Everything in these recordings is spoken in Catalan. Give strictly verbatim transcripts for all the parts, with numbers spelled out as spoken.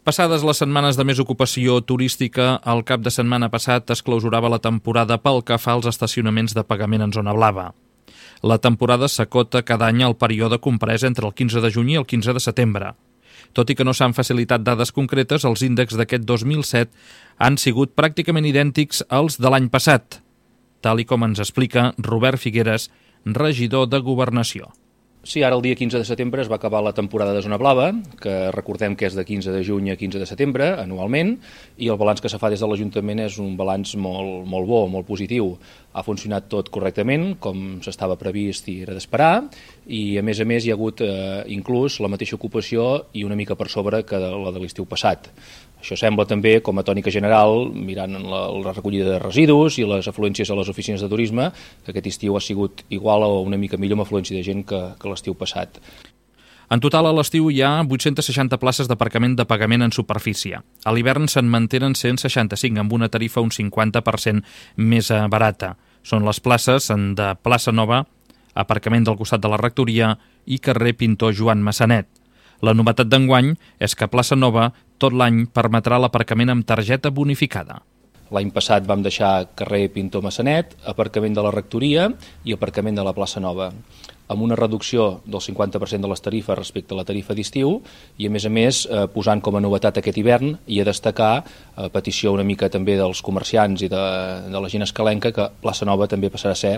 Passades les setmanes de més ocupació turística, el cap de setmana passat es clausurava la temporada pel que fa als estacionaments de pagament en zona blava. La temporada s'acota cada any al període comprès entre el quinze de juny i el quinze de setembre. Tot i que no s'han facilitat dades concretes, els índexs d'aquest dos mil set han sigut pràcticament idèntics als de l'any passat, tal i com ens explica Robert Figueres, regidor de Governació. Sí, ara el dia quinze de setembre es va acabar la temporada de zona blava, que recordem que és de quinze de juny a quinze de setembre, anualment, i el balanç que se fa des de l'Ajuntament és un balanç molt, molt bo, molt positiu. Ha funcionat tot correctament, com s'estava previst i era d'esperar, i a més a més hi ha hagut eh, inclús la mateixa ocupació i una mica per sobre que la de l'estiu passat. Això sembla també, com a tònica general, mirant la, la recollida de residus i les afluències a les oficines de turisme, que aquest estiu ha sigut igual o una mica millor amb afluència de gent que, que l'estiu passat. En total, a l'estiu hi ha vuit-centes seixanta places d'aparcament de pagament en superfície. A l'hivern se'n mantenen cent seixanta-cinc, amb una tarifa un cinquanta per cent més barata. Són les places de Plaça Nova, aparcament del costat de la Rectoria i carrer Pintor Joan Massanet. La novetat d'enguany és que Plaça Nova tot l'any permetrà l'aparcament amb targeta bonificada. L'any passat vam deixar carrer Pintor Massanet, aparcament de la Rectoria i aparcament de la Plaça Nova, amb una reducció del cinquanta per cent de les tarifes respecte a la tarifa d'estiu i, a més a més, eh, posant com a novetat aquest hivern i a destacar, a petició una mica també dels comerciants i de, de la gent escalenca, que Plaça Nova també passarà a ser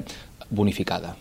bonificada.